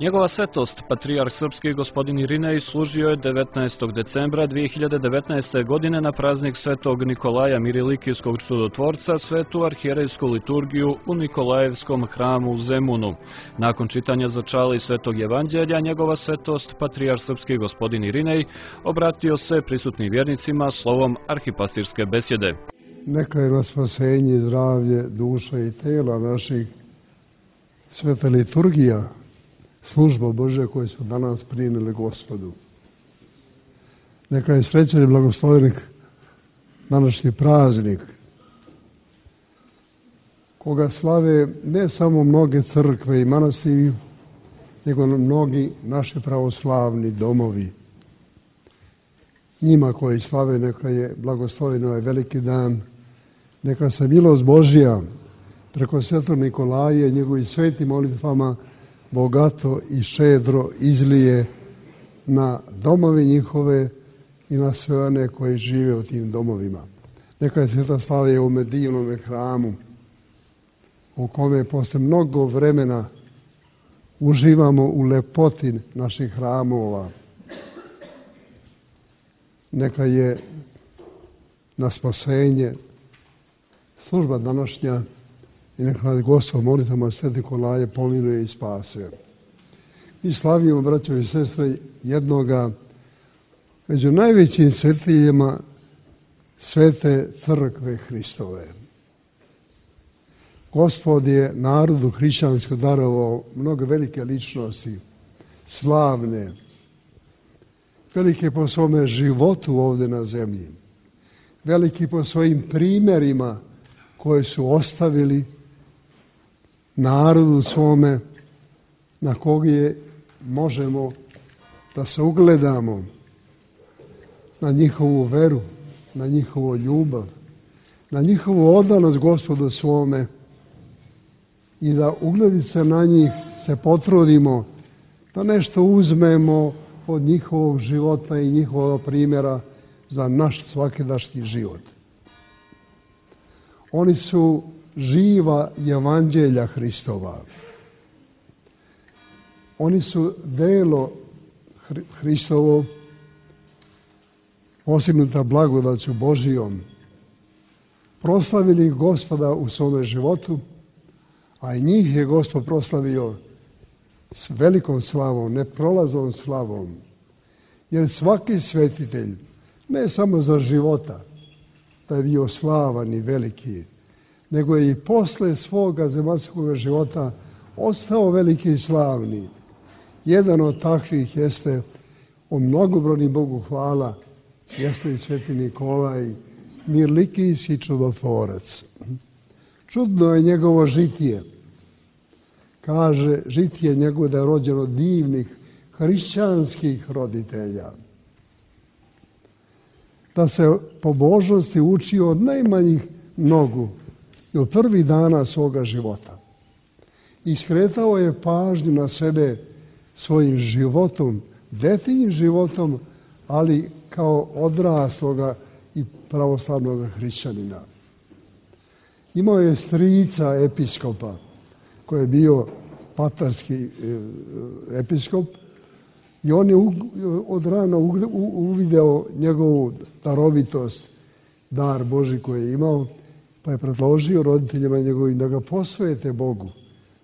Njegova svetost, patrijarh srpski gospodin Irinej, služio je 19. decembra 2019. godine na praznik svetog Nikolaja Mirilikijskog čudotvorca svetu arhijerejsku liturgiju u Nikolajevskom hramu u Zemunu. Nakon čitanja začali svetog evanđelja, njegova svetost, patrijarh srpski gospodin Irinej, obratio se prisutnim vjernicima slovom arhipastirske besjede. Neka je na spasenje i zdravlje duša i tela naših sveta liturgija, služba Božja koju su danas primili Gospodu. Neka je srećan i blagoslovljen današnji praznik, koga slave ne samo mnoge crkve i manastiri, nego mnogi naši pravoslavni domovi. Njima koji slave neka je blagoslovljen ovaj veliki dan, neka se milost Božja preko svetog Nikolaja i njegovim svetim molitvama bogato i šedro izlije na domove njihove i na sve one koji žive u tim domovima. Neka je sveta slava u ovome divnom hramu, u kome posle mnogo vremena uživamo u lepoti naših hramova. Neka je na spasenje služba današnja i neka Gospod molitvama Sv. Nikolaje pomiluje i spase. Mi slavimo, braćo i sestre, jednoga među najvećim svetijima Svete crkve Hristove. Gospod je narodu hrišćansko darovao mnogo velike ličnosti, slavne, velike po svome životu ovdje na zemlji, veliki po svojim primjerima koje su ostavili narodu svome, na kog je možemo da se ugledamo, na njihovu veru, na njihovu ljubav, na njihovu odanost Gospodu svome i da ugledi se na njih se potrudimo da nešto uzmemo od njihovog života i njihovog primjera za naš svakidašnji život. Oni su živa evanđelja Hristova. Oni su delo Hristovo, postignuta blagodaću Božijom, proslavili Gospoda u svome životu, a i njih je Gospod proslavio s velikom slavom, neprolaznom slavom. Jer svaki svetitelj, ne samo za života, da je bio slavan i veliki, nego je i posle svoga zemaljskog života ostao veliki i slavni. Jedan od takvih jeste, o mnogobrojni Bogu hvala, jeste i Sveti Nikolaj, Mirilikijski čudotvorac. Čudno je njegovo žitije. Kaže, žitije njegovo da je rođeno divnih hrišćanskih roditelja. Da se pobožnosti učio od najmanjih nogu i od prvih dana svoga života. I skretao je pažnju na sebe svojim životom, detinjim životom, ali kao odrasloga i pravoslavnog hrišćanina. Imao je strica episkopa, koji je bio patarski episkop, i on je od rana uvideo njegovu darovitost, dar Božji koji je imao, pa je predložio roditeljima njegovim da ga posvete Bogu,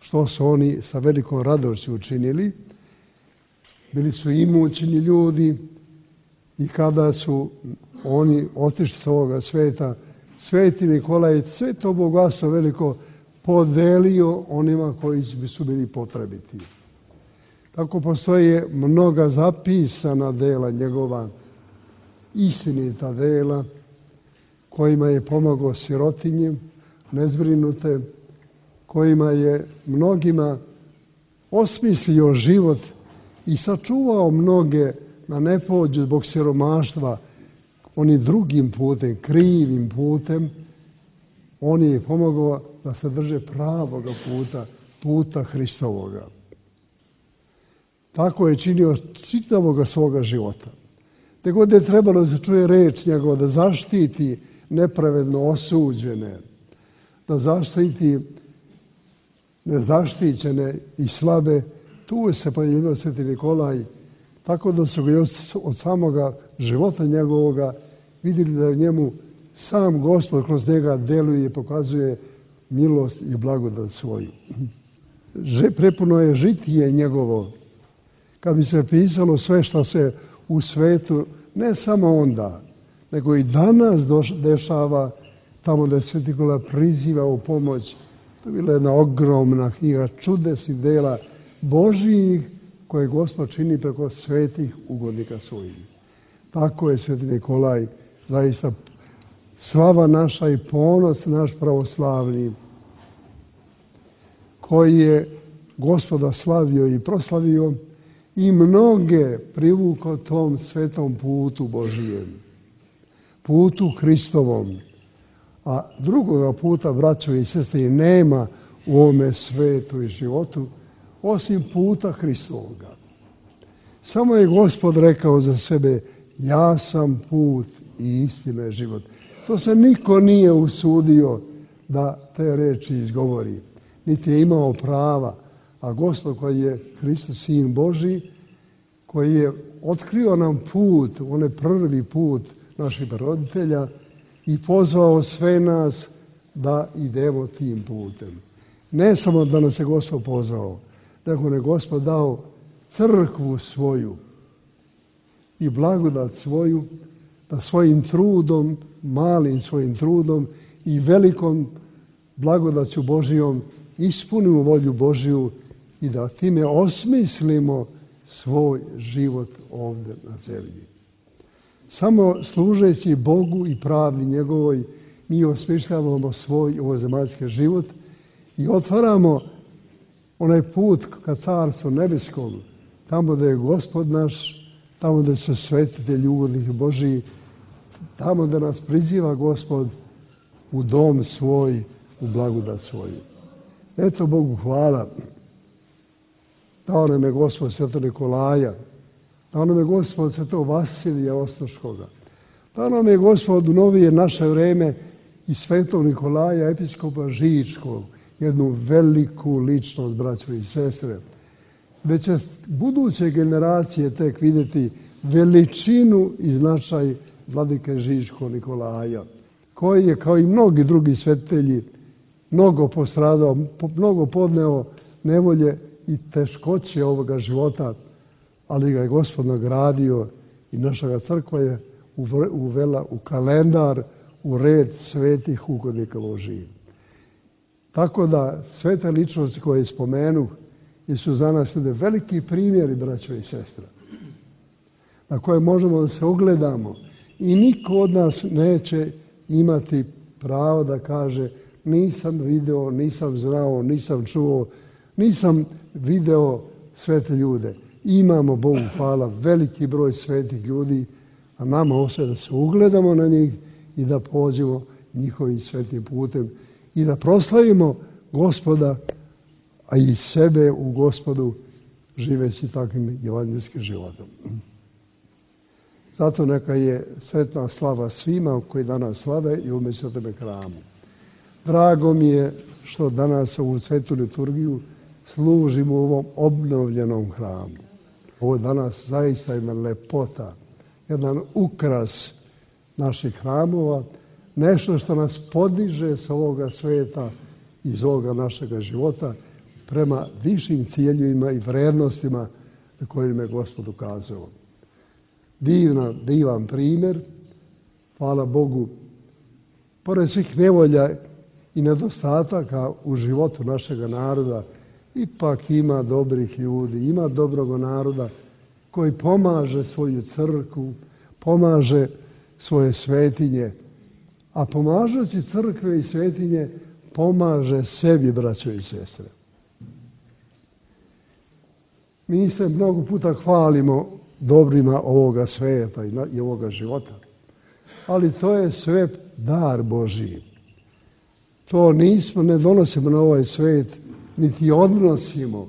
što su oni sa velikom radošću učinili. Bili su imućni ljudi i kada su oni otišli s ovoga sveta, Sveti Nikolaj sve to bogatstvo veliko podelio onima koji su bili potrebiti. Tako postoje mnoga zapisana dela njegova, istinita dela, kojima je pomagao sirotinje, nezbrinute, kojima je mnogima osmislio život i sačuvao mnoge na ne pođu zbog siromaštva onim drugim putem, krivim putem. On je pomagao da se drže pravoga puta, puta Hristovoga. Tako je činio čitavoga svoga života. Te god je trebalo da se čuje reč njegova, da zaštiti nepravedno osuđene, da zaštiti nezaštićene i slabe, tu se pojavio Sveti Nikolaj, tako da su ga još od samoga života njegovoga vidjeli da u njemu sam Gospod kroz njega deluje i pokazuje milost i blagodat svoju. Prepuno je žitije njegovo. Kad bi se pisalo sve što se u svetu, ne samo onda, nego i danas dešava, tamo da je Sveti Nikolaj priziva u pomoć, to je bila jedna ogromna knjiga čudesnih dela Božijih koje Gospod čini preko svetih ugodnika svojih. Tako je Sveti Nikolaj zaista slava naša i ponos naš pravoslavni, koji je Gospoda slavio i proslavio i mnoge privukao tom svetom putu Božijem, putu Hristovom. A drugoga puta, braćo i sestre, nema u ovome svetu i životu osim puta Hristovoga. Samo je Gospod rekao za sebe: ja sam put i istina i život. To se niko nije usudio da te reči izgovori, niti je imao prava. A Gospod, koji je Hristos, Sin Božji, koji je otkrio nam put, onaj prvi put naših roditelja, i pozvao sve nas da idemo tim putem. Ne samo da nas je Gospod pozvao, nego nam je Gospod dao crkvu svoju i blagodat svoju, da svojim trudom, malim svojim trudom i velikom blagodaću Božijom ispunimo volju Božiju i da time osmislimo svoj život ovdje na zemlji. Samo služeći Bogu i pravdi njegovoj mi osmišljavamo svoj ovozemaljski život i otvaramo onaj put ka Carstvu nebeskom, tamo da je Gospod naš, tamo da su svetitelji ugodnih Božiji, tamo da nas priziva Gospod u dom svoj, u blagodat svoju. Eto, Bogu hvala. Dao nam je Gospod Svetog Nikolaja, dao nam je Gospod Svetog Vasilija Ostroškoga, dao nam je Gospod u novije naše vreme i Svetog Nikolaja, episkopa Žičkog, jednu veliku ličnost, braćo i sestre. Već će buduće generacije tek vidjeti veličinu i značaj vladike Žičkog Nikolaja, koji je, kao i mnogi drugi svetitelji, mnogo postradao, mnogo podneo nevolje i teškoće ovoga života, ali ga je Gospod nagradio i naša crkva je uvela u kalendar, u red svetih ugodnika Božijih. Tako da sve te ličnosti koje spomenu su za nas veliki primjeri, braćo i sestra, na koje možemo da se ogledamo i niko od nas neće imati pravo da kaže: nisam video, nisam znao, nisam čuo, nisam video svete ljude. Imamo, Bogu hvala, veliki broj svetih ljudi, a nama ostaje da se ugledamo na njih i da pođemo njihovim svetim putem i da proslavimo Gospoda, a i sebe u Gospodu, živeći takvim evanđelskim životom. Zato neka je sretna slava svima koji danas slave i u Svetome hramu. Drago mi je što danas ovu svetu liturgiju služimo u ovom obnovljenom hramu. Ovo je danas zaista jedna lepota, jedan ukras naših hramova, nešto što nas podiže sa ovoga sveta, iz ovoga našega života, prema višim ciljevima i vrednostima na kojima je Gospod ukazao. Divan primjer, hvala Bogu, pored svih nevolja i nedostataka u životu našega naroda, ipak ima dobrih ljudi, ima dobrog naroda koji pomaže svoju crkvu, pomaže svoje svetinje, a pomažući crkve i svetinje pomaže sebi, braćo i sestre. Mi se mnogo puta hvalimo dobrima ovoga sveta i ovoga života, ali to je sve dar Božiji. To ne donosimo na ovaj svet, niti odnosimo.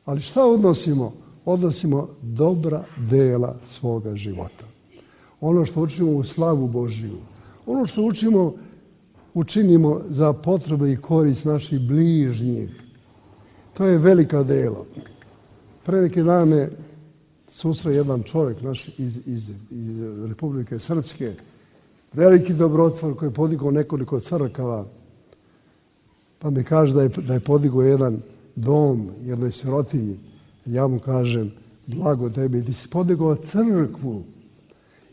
Ali šta odnosimo? Odnosimo dobra dela svoga života. Ono što učimo u slavu Božiju, ono što učinimo za potrebe i korist naših bližnjih, to je velika dela. Pre neki dan me susreo jedan čovjek naš iz Republike Srpske, veliki dobrotvor koji je podigao nekoliko crkava, pa mi kaže da je podigao jedan dom jednoj sirotinji. Ja mu kažem, blago tebi, ti si podigao crkvu,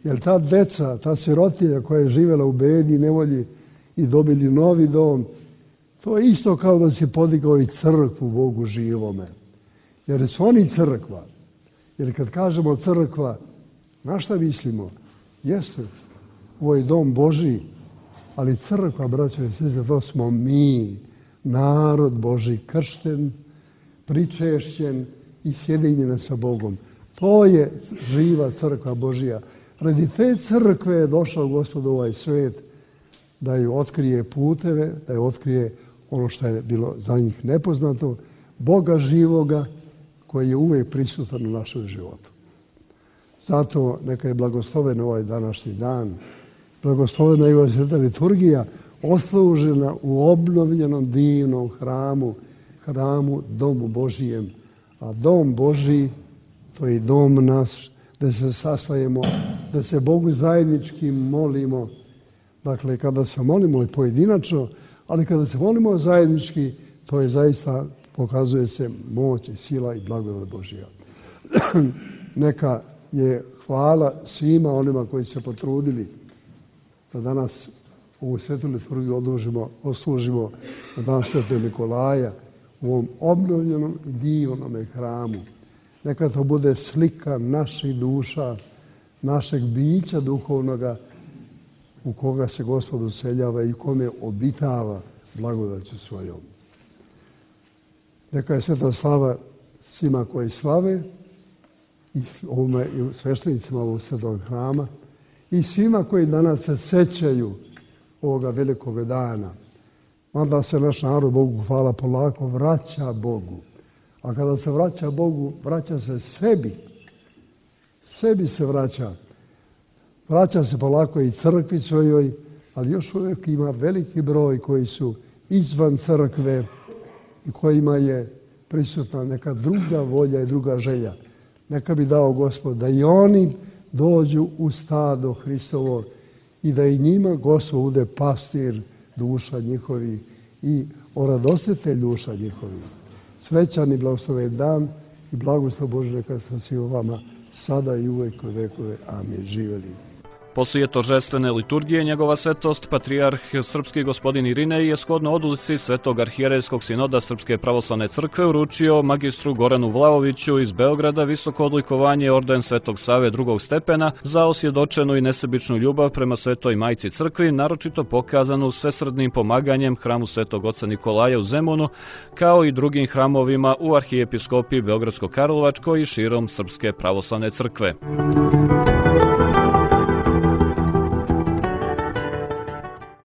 jer ta deca, ta sirotinja koja je živjela u bedi i nevolji i dobili novi dom, to je isto kao da si podigao i crkvu Bogu živome. Jer su oni crkva. Jer kad kažemo crkva, na šta mislimo? Jeste, ovo je dom Božji, ali crkva, braćo i sestre, to smo mi, narod Božji, kršten, pričešćen i sjedinjen sa Bogom. To je živa crkva Božja. Radi te crkve je došao Gospod u ovaj svet da ju otkrije puteve, da ju otkrije ono što je bilo za njih nepoznato, Boga živoga koji je uvijek prisutan u našem životu. Zato neka je blagosloven ovaj današnji dan, blagoslovena je ova sveta liturgija, oslužena u obnovljenom divnom hramu Domu Božijem. A Dom Božji, to je dom naš, da se sastajemo, da se Bogu zajednički molimo. Dakle, kada se molimo i pojedinačno, ali kada se molimo zajednički, to je zaista, pokazuje se moć i sila i blagodat Božja. Neka je hvala svima onima koji se potrudili da danas ovu svetu liturgiju oslužimo na dan Svetog Nikolaja u ovom obnovljenom i divnom hramu. Neka to bude slika naših duša, našeg bića duhovnoga u koga se Gospod useljava i kome obitava blagodaću svojom. Neka je sveta slava svima koji slave i sveštenicima ovog svetog hrama i svima koji danas se sećaju ovoga velikog dana. Mada se naš narod, Bogu hvala, polako vraća Bogu. A kada se vraća Bogu, vraća se sebi. Sebi se vraća. Vraća se polako i crkvi svojoj, ali još uvijek ima veliki broj koji su izvan crkve i kojima je prisutna neka druga volja i druga želja. Neka bi dao Gospod da i oni dođu u stado Hristovo i da i njima Gospod bude pastir duša njihovi i oradositelj duša njihovi. Srećan i blagosloven dan i blagoslov Božje neka sa svima vama sada i uvek u vekove. Amin. Živjeli. Poslije toržestvene liturgije njegova svetost, patrijarh srpski gospodin Irinej je shodno odluci Svetog arhijerejskog sinoda Srpske pravoslavne crkve uručio magistru Goranu Vlaoviću iz Beograda visoko odlikovanje orden Svetog Save drugog stepena za osvjedočenu i nesebičnu ljubav prema Svetoj Majci crkvi, naročito pokazanu svesrdnim pomaganjem hramu Svetog oca Nikolaja u Zemunu, kao i drugim hramovima u arhijepiskopiji Beogradsko-Karlovačkoj i širom Srpske pravoslavne crkve.